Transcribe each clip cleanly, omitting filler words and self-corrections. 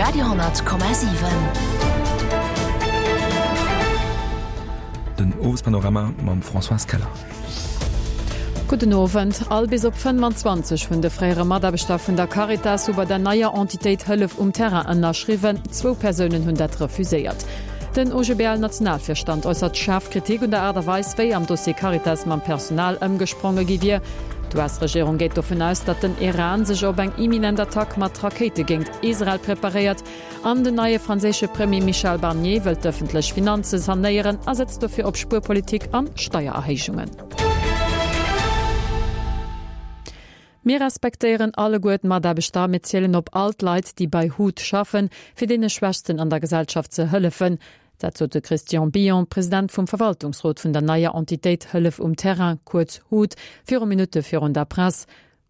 Radio 10,7. Den Owespanorama mam Françoise Keller. Gudden Owend. All bis op 25 vun de fréiere Mataarbechter vun der Caritas hu bei der neier Entitéit Hëllef um Terrain ënnerschriwwen. Zwou Persounen hunn dat refuséiert. Den OGBL-Nationalvirstand äussert schaarf Kritik un der Aart a Weis, wéi am Dossier Caritas mam Personal ëmgespronge gi wier. D'US-Regierung geet dovun aus, datt den Iran sech op eng imminent Attack mat Rakéite géint Israel preparéiert. An den neie franséische Premier Michel Barnier wëllt d'ëffentlech Finanze sanéieren a setzt dofir op Spuerpolitik an Steiererhéijungen. Mir respektéieren alleguer d'Mataarbechter a mir zielen op all d'Leit, déi bei hut schaffen, fir deene Schwächsten an der Gesellschaft ze hëllefen. Dat sot de Christian Billon, President vum Verwaltungsrot vun der neier Entitéit Hëllef um Terrain, kuerz hut, viru Minutte virun der Press.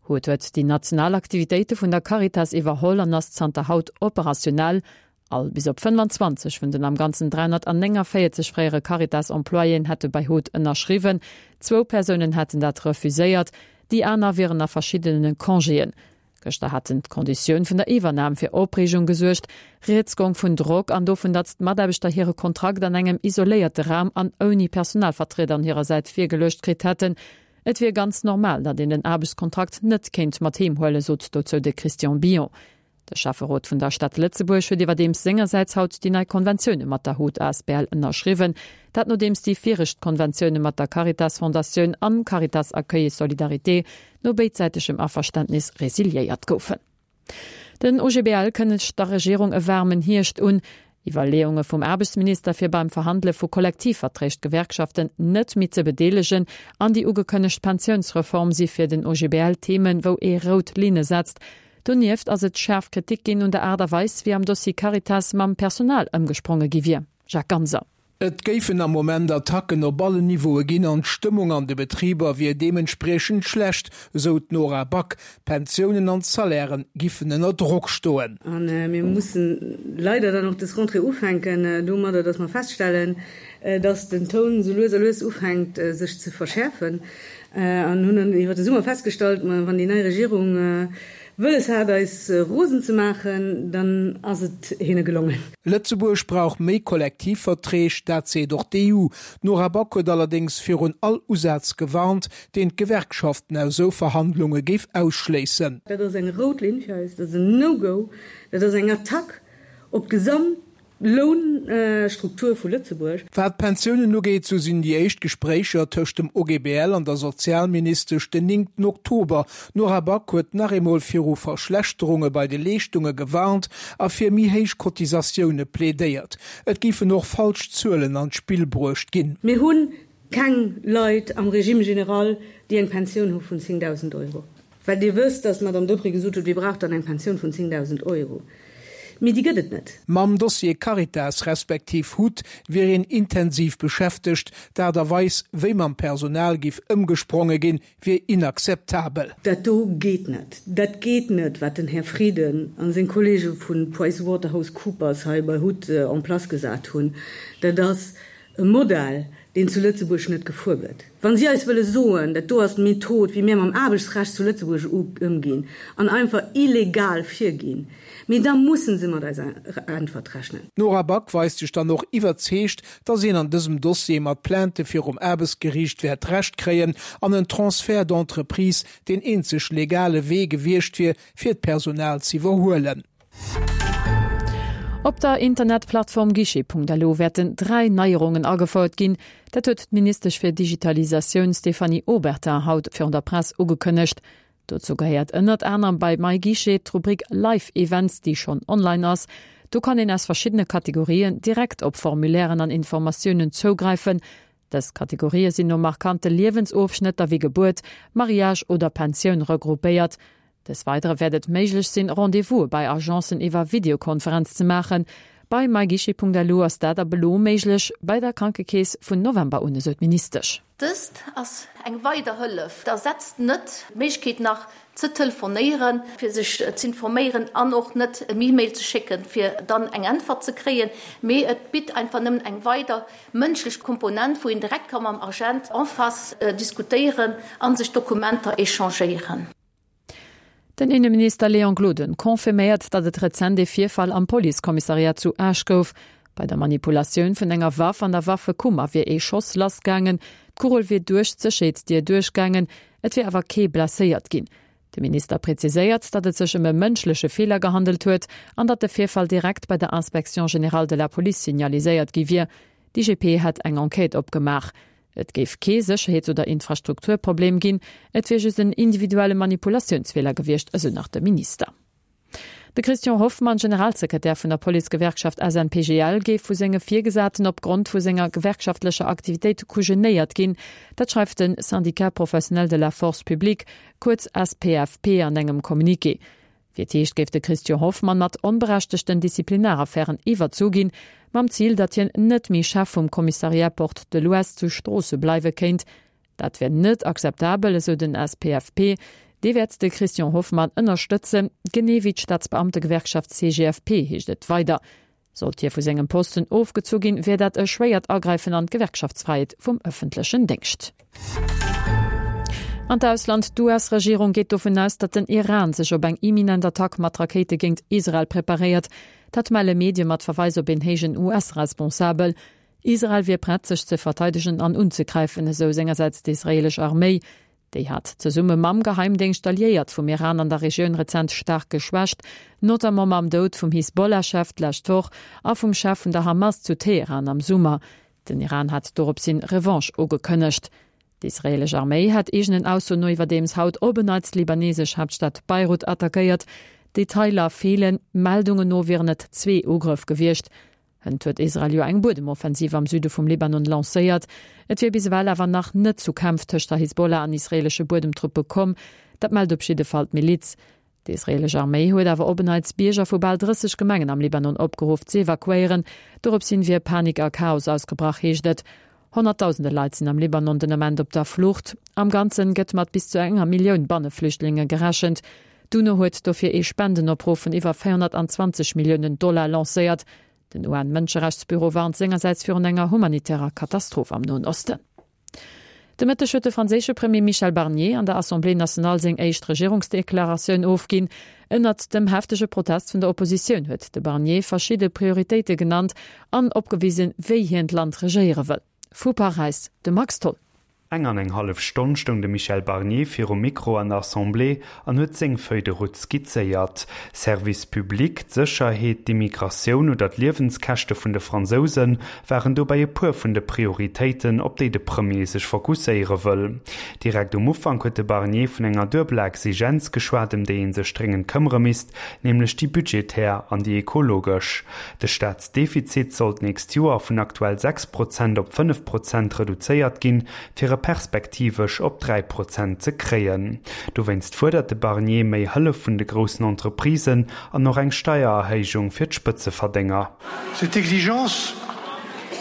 Hut huet déi national Aktivitéite vun der Caritas iwwerholl an ass zanter haut operationell. All bis op 25 vun den am Ganzen 349 fréiere Caritas-Employéen hätte bei hut ënnerschriwwen. Zwou Persounen hätten dat refuséiert, déi aner wieren a verschiddene Congéen. Gëschter haten d'Konditioun vun der Iwwernam fir Opreegung gesuergt. Rieds gong vun Drock an dovun, datt d'Mataarbechter hire Kontrakt an engem isoléierte Raum an ouni Personalvertrieder an hirer Säit virgeluecht kritt hätten. Et wier ganz normal, datt een den Aarbechtskontrakt net kéint mat heem huelen, sot dozou de Christian Billon. De Schäfferot vun der Stad Lëtzebuerg huet iwwerdeems sengersäits haut déi nei Konventioune mat der hut asbl ënnerschriwwen. Dat nodeems déi viregt Konventioune mat der Caritas Fondatioun an Caritas Accueil et Solidarité no béidsäitegem Averständnis resiliéiert goufen. Den OGBL kënnegt der Regierung e waarmen Hierscht un. Iwwerleeunge vum Aarbechtsminister, fir beim Verhandele vu Kollektivverträg d'Gewerkschaften net méi ze bedeelegen an déi ugekënnegt Pensiounsreform si fir den OGBL Themen, wou ee rout Linne setzt. Donieft ass et schaarf Kritik ginn un der Aart a Weis, wéi am Dossier Caritas mam Personal ëmgespronge gi wier. Jacques Ganser. Et géifen am Moment Attacken op allen Niveaue ginn an d'Stëmmung an de Betriber wier deementspriechend schlecht, esou d'Nora Back. D'Pensiounen an d'Salairen giffen ënner Drock stoen. A mir mussen leider dann och dës Rentrée ufänken domadder, dass mer feststellen, dass den Toun sou lues a lues ufänkt sech ze verschäerfen. An hunn dann iwwer de Summer festgestallt, ma wann déi nei Regierung wëlles hat eis rosen ze maachen, dann ass et hinne gelongen. Lëtzebuerg brauch méi Kollektivverträg, dat seet och d'EU. D'Nora Back huet allerdéngs virun all Usaz gewarnt, deen d'Gewerkschaften aus esou Verhandlunge géif ausschléissen. Dat ass eng rout Linn fir eis, dat ass en No-Go, dat ass eng Attack op d'gesamt Lounstruktur vu Lëtzebuerg. Wat d'Pensiounen ugeet, sou sinn déi éischt Gespréicher tëscht dem OGBL an der Sozialministesch den néngten Oktober. D'Nora Back huet nach eemol viru Verschlechterunge bei de Leeschtunge gewarnt a fir méi héich Cotisatioune plädéiert. Et géifen och falsch Zuelen an d'Spill bruecht ginn. Mir hu keng Leit am Régime général, déi eng Pensioun hu vun 10.000 Euro. Well Dir wësst, dass d'Madame Deprez gesot huet, Wie brauch dann eng Pensioun vun 10.000 Euro? Mee déi gëtt et net. Mam Dossier Caritas respektiv hut wier een intensiv beschäftegt. D'Aart a Weis, wéi mam Personal giff ëmgespronge ginn, wier inakzeptabel. Dat do geet net. Dat geet net, wat den Här Frieden a seng Kollege vu PricewaterhouseCoopers hei bei hut en place gesat hunn. Dat ass e Modell, deen zu Lëtzebuerg net gefuer gëtt. Wa si eis wëlle soen, dat do ass d'Method, wéi mir mam Aarbechtsrecht zu Lëtzebuerg ëmginn an einfach illegal virginn, mee da musse se mat eiser Äntwert rechnen. D'Nora Back weist sech dann och iwwerzeegt, datt een an dësem Dossier mat Plainte virum Aarbechtsgeriicht wäert Recht kréien an en Transfert d'entreprise deen eenzeg legale Wee gewiescht wier, fir d'Personal z'iwwerhuelen. Op der Internetplattform Guichet.lu wäerten 3 Neierungen agefouert ginn. Dat huet d'Ministesch fir Digitalisatioun Stéphanie Obertin haut virun der Press ugekënnegt. Dozou gehéiert ënnert anerem bei MyGuichet d'Rubrik Live Events, déi schonn online ass. Do kann een aus verschiddene Kategorien direkt op Formulairen an Informatiounen zougräifen. Dës Kategorië sinn no markante Liewensofschnëtter wéi Gebuert, Mariage oder Pensioun regroupéiert. Des Weidere wäert et méiglech sinn, Rendez-vouse bei Agencen iwwer Videokonferenz ze maachen. Bei myguichet.lu ass dat ab elo méiglech, bei der Krankekeess vun November un, esou d'Ministesch. Dëst ass eng weider Hëllef. Et ersetzt net d'Méiglechkeet nach ze telefonéieren, fir sech z'informéieren an och net en E-Mail ze schécken, fir dann eng Äntwert ze kréien, mee et bitt einfach nëmmen eng weider mënschlech Komponent, wou een direkt ka mam Agent en face diskutéieren a sech Dokumenter échangéieren. Den Inneminister Léon Gloden confirméiert, datt et rezent ee Virfall am Policekommissariat zu Esch gouf. Bei der Manipulatioun vun enger Waff an der Waffekummer wier ee Schoss lassgaangen. D'Kugel wier duerch d'Sécherheetsdier duerchgaangen, et wier awer kee blesséiert ginn. De Minister präziséiert, datt et sech ëm e mënschleche Feeler gehandelt huet an datt de Virfall direkt bei der Inspection générale de la Police signaliséiert gi wier. D'IGP hätt eng Enquête opgemaach. Et géif kee Sécherheets oder Infrastrukturproblem ginn, et wier just en individuelle Manipulatiounsfeeler gewiescht, esou nach de Minister. De Christian Hoffmann, Generalsekretär vun der Policegewerkschaft SNPGL, géif vu senge Virgesaten op Grond vu senger gewerkschaftlecher Aktivitéit kujenéiert ginn. Dat schreift de Syndicat professionnel de la force publique, kuerz SPFP, an engem Communiqué. Fir d'éischt géif de Christian Hoffmann mat onberechtegten Disziplinaraffären iwwerzu ginn, mam Zil, datt hien net méi Chef vum Commissariat Porte de l'Ouest zu Stroosse bleiwe kéint. Dat wär net akzeptabel, esou den SPFP. Dee wäert de Christian Hoffmann ënnerstëtzen, genee wéi d'Staatsbeamtegewerkschaft CGFP, heescht et weider. Sollt hie vu sengem Posten ofgezu ginn, wär dat e schwéiert Agräifen an d'Gewerkschaftsfräiheet vum ëffentlechen Déngscht. An d'Ausland, D'US-Regierung geet dovun aus, datt den Iran sech op eng imminent Attack mat Rakéite géint Israel preparéiert. Dat melle Medie mat Verweis op een héijen US-Responsabel. Israel wier prett, sech ze verteidegen an unzegräifen, esou sengersäits d'israeelesch Arméi. Déi hat zesumme mam Geheimdéngscht d'Alliéiert vum Iran an der Regioun rezent staark geschwächt, notamment mam Doud vum Hisbollah-Chef d'lescht Woch a vum Chef vun der Hamas zu Teheran am Summer. Den Iran hat dorops hin Revanche ugekënnegt. D'israeelesch Arméi hat eegenen Aussoen no iwwerdeems haut op en Neits d'libanesesch Haaptstad Beirut attackéiert. Detailer feelen, Meldungen no wieren et zwee Ugrëff gewiescht. Hënt huet Israel jo eng Buedemoffensiv am Süde vum Libanon lancéiert. Et wier bis ewell awer nach net zu Kämpf tëscht der Hisbollah an israeelesche Buedemtruppe komm. Dat mellt op jidde Fall d'Miliz. D'israeelesch Arméi huet awer op en Neits Bierger vu bal 30 Gemengen am Libanon opgeruff z'evakuéieren. Dorops hin wier Panik a Chaos ausgebrach, heescht et. Honnertdausende Leit sinn am Libanon den Ament op der Flucht. Am Ganzen gëtt mat bis zu enger Millioun Banneflüchtlinge gerechent. D'UNO huet dofir ee Spendenopruff vun iwwer 420 Milliounen Dollar lancéiert. Den UN-Mënscherechtsbüro warnt sengersäits virun enger humanitärer Katastroph am Noen Osten. De Mëtteg huet de franséische Premier Michel Barnier an der Assemblée nationale seng éischt Regierungsdeklaratioun ofginn. Ënnert dem heftege Protest vun der Oppositioun huet de Barnier verschidde Prioritéite genannt an opgewisen, wéi hien d'Land regéiere wëll. Vu Paräis de Max Tholl. Eng an eng hallef Stonn stoung de Michel Barnier virum Mikro an der Assemblée an huet seng Feuille de route skizzéiert. Service public, d'Sécherheet, d'Immigratioun oder d'Liewenskäschte vun de Fransouse waren dobäi e puer vun de Prioritéiten, op déi de Premier sech fokusséiere wëll. Direkt um Ufank huet de Barnier vun enger duebeler Exigenz geschwat, ëm déi ee sech dréngend këmmere misst, nämlech déi budgetär an déi ekologesch. De Staatsdefizit soll d'nächst Joer vun aktuell 6 Prozent op 5 Prozent reduzéiert ginn, fir e perspektivesch op 3 Prozent ze kréien. Dowéinst fuerdert de Barnier méi Hëllef vun de groussen Entreprisen an och eng Steiererhéijung fir d'Spëtzeverdénger. Cette exigence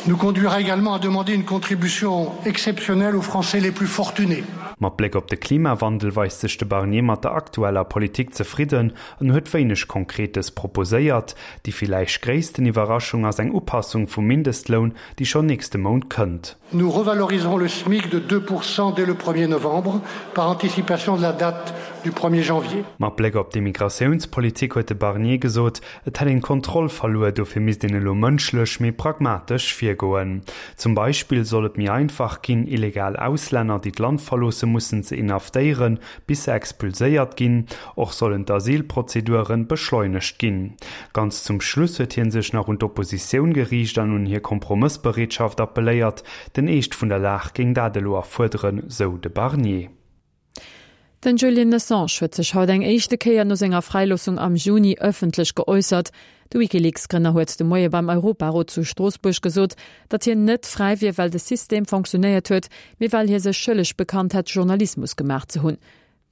nous conduira également à demander une contribution exceptionnelle aux Français les plus fortunés. Mat Bléck op de Klimawandel weist sech de Barnier mat der aktueller Politik zefridden an huet wéineg Konkretes proposéiert. Déi villäicht gréissten Iwwerraschung ass eng Upassung vum Mindestloun, déi schonn nächste Mount kënnt. Nous revaloriserons le SMIC de 2 Pourcent dès le premier novembre, par anticipation de la date du premier janvier. Mat Bléck op d'Immigratiounspolitik huet de Barnier gesot, et hätt een d'Kontroll verluer, dofir misst een elo mënschlech, méi pragmatesch virgoen. Zum Beispill soll et méi einfach ginn, illegal Auslänner, déi d'Land verloosse mussen, ze inhaftéieren, bis se expulséiert ginn. Och sollen d'Asylprozeduren beschleunegt ginn. Ganz zum Schluss huet hien sech nach un d'Oppositioun geriicht an un hir Kompromëssbereetschaft appelléiert. Den Eescht vun der Lag géing dat elo erfuerderen, sou de Barnier. Den Julian Assange huet sech haut eng éischte Kéier no senger Fräiloossung am Juni ëffentlech geäussert. De WikiLeaks-Grënner huet de Moie beim Europarot zu Stroossbuerg gesot, datt hien net fräi wier, well de System fonctionéiert huet, mee well hie sech schëlleg bekannt hätt, Journalismus gemaach ze hunn.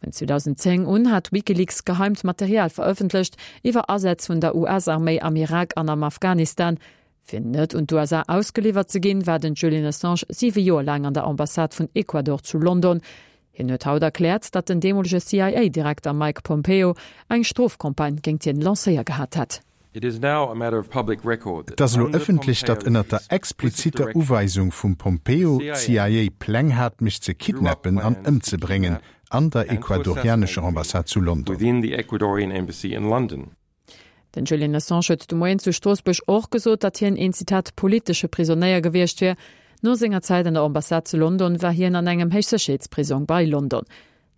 Vun 2010 un hat WikiLeaks geheimt Material verëffentlecht iwwer Asätz vun der US-Arméi am Irak an am Afghanistan. Fir net un d'USA ausgeliwwert ze ginn, war den Julian Assange siwe Joer laang an der Ambassade vun Ecuador zu London. Hien huet haut erkläert, datt den deemolege CIA-Direkter Mike Pompeo eng Strofcampagne géingt hien lancéier gehat hätt. Et ass elo ëffentlech, datt ënnert der expliziter Uweisung vum Pompeo d'CIA Pläng hat, mech ze kidnappen an ëmzebréngen. an der ecuadorianescher Ambassade zu London. Den Julian Assange huet de Moien zu Stroossbuerg och gesot, datt hien een, Zitat, politesche Prisonéier gewiescht wier. No senger Zäit an der Ambassade zu London war hien an engem Héichsécherheetsprisong bei London.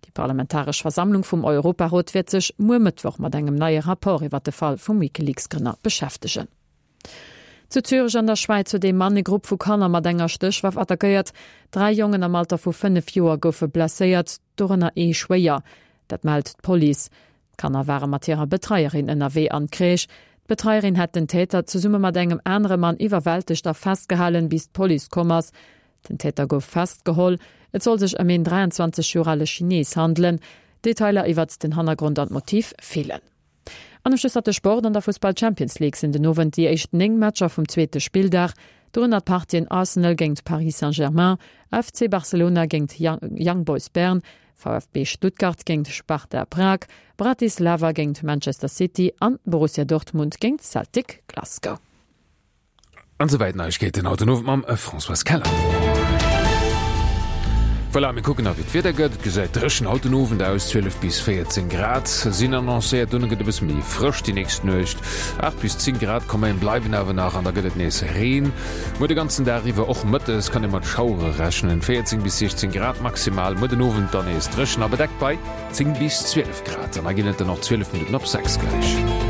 Déi parlamentaresch Versammlung vum Europarot wäert sech muer Mëttwoch mat engem neie Rapport iwwer de Fall vum WikiLeaks-Grënner beschäftegen. Zu Zürech an der Schwäiz huet ee Mann e Grupp vu Kanner mat enger Stéchwaff attackéiert. 3 Jongen am Alter vu 5 Joer goufe blesséiert, dorënner ee schwéier. Dat mellt d'Police. D'Kanner ware mat hirer Betreierin ënnerwee an d'Crèche. D'Betreierin hätt den Täter zesumme mat engem anere Mann iwwerwältegt a festgehalen, bis d'Police komm ass. Den Täter gouf festgeholl. Et soll sech ëm een 23 Joer ale Chines handelen. Detailer iwwert den Hannergrond an d'Motiv feelen. An um Schluss nach de Sport, An der Fussball Champions League sinn den Owend déi éischt 9 Matcher vum zweete Spilldag. Dorënner d'Partien Arsenal géingt Paris Saint-Germain, FC Barcelona géingt Young Boys Bern, VfB Stuttgart géingt Sparta Prag, Bratislava géingt Manchester City an Borussia Dortmund géingt Celtic Glasgow. An esouwäit Neiegkeeten haut den Owend mam Françoise Keller. Voilà, mir kucken nach wéi d'Wieder gëtt. Et gesäit dréchen haut den Owend aus, 12 bis 14 Grad sinn annoncéiert. Dono gëtt e bësse méi frësch déi nächst Nuecht, 8 bis 10 Grad quand même bleiwen awer nach an da gëtt et nees Reen. Muer de ganzen Dag iwwer, och mëttes kann ee mat Schauere rechnen, 14 bis 16 Grad maximal. Muer den Owend dann nees dréchen a bedeckt bei 10 bis 12 Grad. An da ginn et dann och 12 Minutten op 6 gläich.